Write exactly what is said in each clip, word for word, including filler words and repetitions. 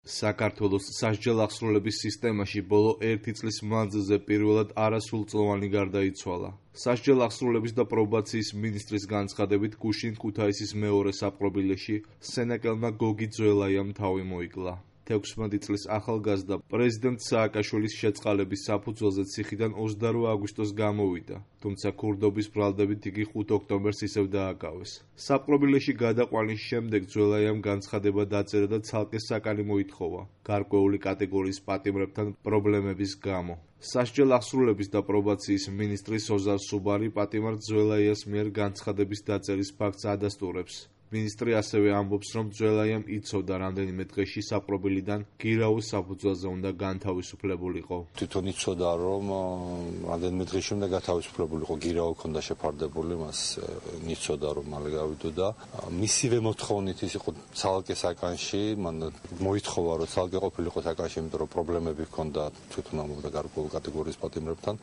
საქართველოს სასჯელ აღსრულების სისტემაში ბოლო ერთი წლის მანძილზე პირველად არასრულწლოვანი გარდაიცვალა. სასჯელ აღსრულების და პრობაციის მინისტრის განცხადებით გუშინ ქუთაისის მეორე საპყრობილეში სენაკელმა გოგი ძველაიამ თავი მოიკლა. თექვსმეტი წლის ახალგაზრდა პრეზიდენტ სააკაშვილის შეწყალების საფუძველზე ციხიდან ოცდაორ აგვისტოს გამოვიდა, თუმცა ქურდობის ბრალდებით იგი ხუთ ოქტომბერს ისევ დააკავეს. საპყრობილეში გადაყვანის შემდეგ ძველაიამ განცხადება დაწერა და ცალკე საკანი მოითხოვა გარკვეული კატეგორიის პატიმრებთან პრობლემების გამო. სასჯელ აღსრულების და პრობაციის მინისტრი სოზარ სუბარი პატიმარ ძველაიას მიერ განცხადების დაწერის ფაქტს ადასტურებს. მინისტრი ასევე ამბობს, რომ ძველაიამ იცოდა რამდენიმე დღეში საპყრობილიდან გირაოს საფუძველზე უნდა განთავისუფლებულიყო. თვითონ იცოდა, რომ რამდენიმე დღეში უნდა გათავისუფლებულიყო, გირაო ჰქონდა შეფარდებული, მას იცოდა, რომ მალე გავიდოდა. მისივე მოთხოვნით ის იყო ცალკე საკანში, მან მოითხოვა, რომ ცალკე ყოფილიყო საკანში, იმიტომ რომ პრობლემები ჰქონდა თვითონ ამბობდა გარკვეულ კატეგორიის პატიმრებთან.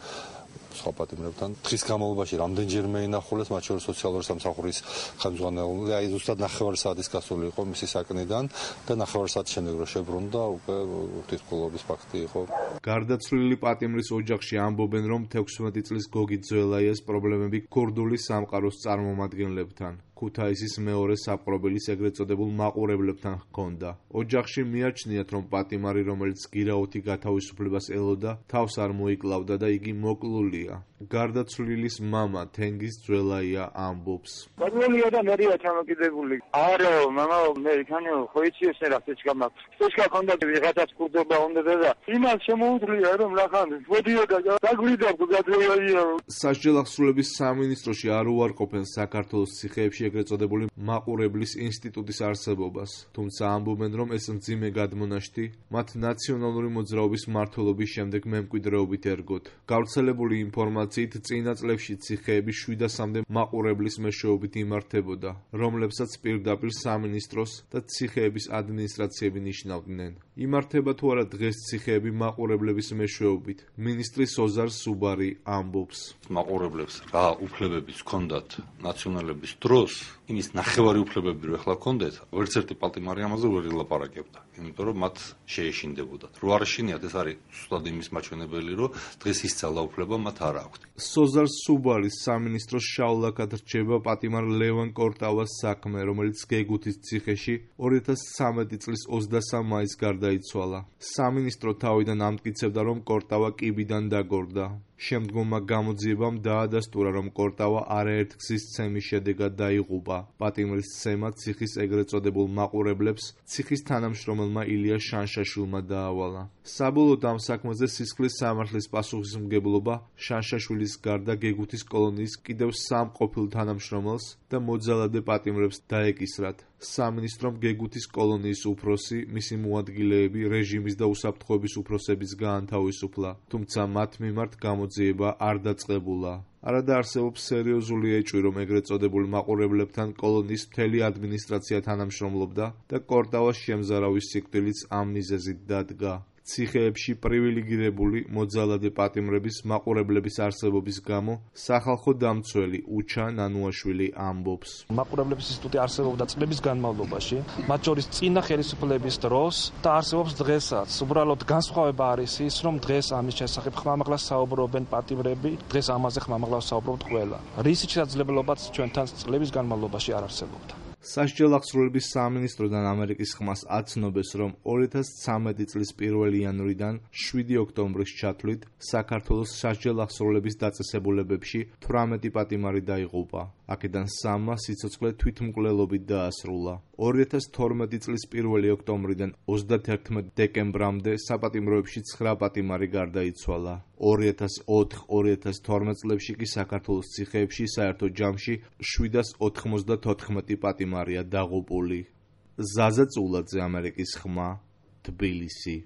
სხვა პატიმრებთან. დღის განმავლობაში რამდენჯერმე ინახულეს, მათ შორის სოციალური სამსახურის ხელმძღვანელი, აი ზუსტად ნახევარი საათის გასული იყო მისი საკნიდან და ნახევარი საათის შემდეგ რო შებრუნდა, უკვე თვითმკვლელობის ფაქტი იყო. გარდაცვლილი პატიმრის ოჯახში ამბობენ, რომ თექვსმეტი წლის გოგი ძველაიას პრობლემები ქურდული სამყაროს წარმომადგენლებთან, ქუთაისის მეორე საპყრობილის ეგრეთ წოდებულ მაყურებლებთან ჰქონდა. ოჯახში მიაჩნიათ, რომ პატიმარი, რომელიც გირაოთი გათავისუფლებას ელოდა, თავს არ მოიკლავდა და იგი მოკლულია. გარდაცვლილის მამა თენგიზ ძველაია ამბობს. მოკლულია და მერია ჩამოკიდებული. არა, მამა მე იქანი ხო იცი ესე რა ფეჩკა მაქვს. ფეჩკა ქონდა ვიღაცას ქურდობა უნდა და იმას შემოუძლია რომ ნახან მოდიოდა და დაგვიდა გაძლევია. სასჯელ აღსრულების სამინისტროში არ უარყოფენ საქართველოს ციხეებში ეგრეთ წოდებული მაყურებლის ინსტიტუტის არსებობას, თუმცა ამბობენ, რომ ეს მძიმე გადმონაშთი მათ ნაციონალური მოძრაობის მმართველობის შემდეგ მემკვიდრეობით ერგოთ. გავრცელებული ინფორმაციით წინა წლებში ციხეები შვიდასამდე მაყურებლის მეშვეობით იმართებოდა, რომლებსაც პირდაპირ სამინისტროს და ციხეების ადმინისტრაციები ნიშნავდნენ. იმართება თუ არა დღეს ციხეები მაყურებლების მეშვეობით, მინისტრი სოზარ სუბარი ამბობს. მაყურებლებს რა უფლებებიც ჰქონდათ ნაციონალების დროს, იმის ნახევარი უფლებები რო ახლა ჰქონდეთ, ვერც ერთი პატიმარი ამაზე ვერ ილაპარაკებდა, იმიტომ რომ მათ შეეშინდებოდათ. რო არ შეშინიათ, ეს არის ზუსტად იმის მაჩვენებელი, რომ დღეს ის ძალა უფლება მათ არ აქვთ. სოზარ სუბარის სამინისტროს შავლაკად რჩება პატიმარ ლევან კორტავას საქმე, რომელიც გეგუთის ციხეში ორი ათას ცხრამეტი წლის ოცდასამ მაისს გარდაიცვალა. სამინისტრო თავიდან ამტკიცებდა, რომ კორტავა კიბიდან დაგორდა. შემდგომმა გამოძიებამ დაადასტურა, რომ კორტავა არაერთ გზის ცემის შედეგად დაიღუპა. პატიმრის ცემა ციხის ეგრეთ წოდებულ მაყურებლებს ციხის თანამშრომელმა ილია შანშაშვილმა დაავალა. საბოლოოდ ამ საქმეზე სისხლის სამართლის პასუხისმგებლობა შანშაშვილის გარდა გეგუთის კოლონიის კიდევ სამ ყოფილ თანამშრომელს და მოძალადე პატიმრებს დაეკისრათ. სამინისტრომ გეგუთის კოლონიის უფროსი, მისი მოადგილეები, რეჟიმის და უსაფრთხოების უფროსების გაანთავისუფლა, თუმცა მათ მიმართ გამოძიება არ დაწყებულა. არადა არსებობს სერიოზული ეჭვი, რომ ეგრეთ წოდებული მაყურებლებთან კოლონიის მთელი ადმინისტრაცია თანამშრომლობდა და კორტავას შემზარავის სიკვდილიც ამ მიზეზით დადგა. ციხეებში პრივილეგირებული მოძალადე პატიმრების მაყურებლების არსებობის გამო სახალხო დამცველი უჩა ნანუაშვილი ამბობს. მაყურებლების ინსტიტუტი არსებობდა წლების განმავლობაში, მათ შორის წინა ხელისუფლების დროს და არსებობს დღესაც. უბრალოდ განსხვავება არის ის, რომ დღეს ამის შესახებ ხმამაღლა საუბრობენ პატიმრები, დღეს ამაზე ხმამაღლა საუბრობთ ყველა. რისი შესაძლებლობაც ჩვენთან წლების განმავლობაში არ არსებობდა. სასჯელ აღსრულების სამინისტროდან ამერიკის ხმას აცნობეს, რომ ორი ათას ცხრამეტი წლის პირველი იანვრიდან შვიდი ოქტომბრის ჩათვლით საქართველოს სასჯელ აღსრულების დაწესებულებებში თვრამეტი პატიმარი დაიღუპა. აქედან სამმა სიცოცხლე თვითმკვლელობით დაასრულა. ორი ათას თორმეტი წლის პირველი ოქტომბრიდან ოცდათერთმეტი დეკემბრამდე საპატიმროებში ცხრა პატიმარი გარდაიცვალა. ორი ათას ოთხ ორი ათას თორმეტ წლებში კი საქართველოს ციხეებში საერთო ჯამში შვიდას ოთხმოცდათოთხმეტი პატიმარია დაღუპული. ზაზა წულაძე, ამერიკის ხმა, თბილისი.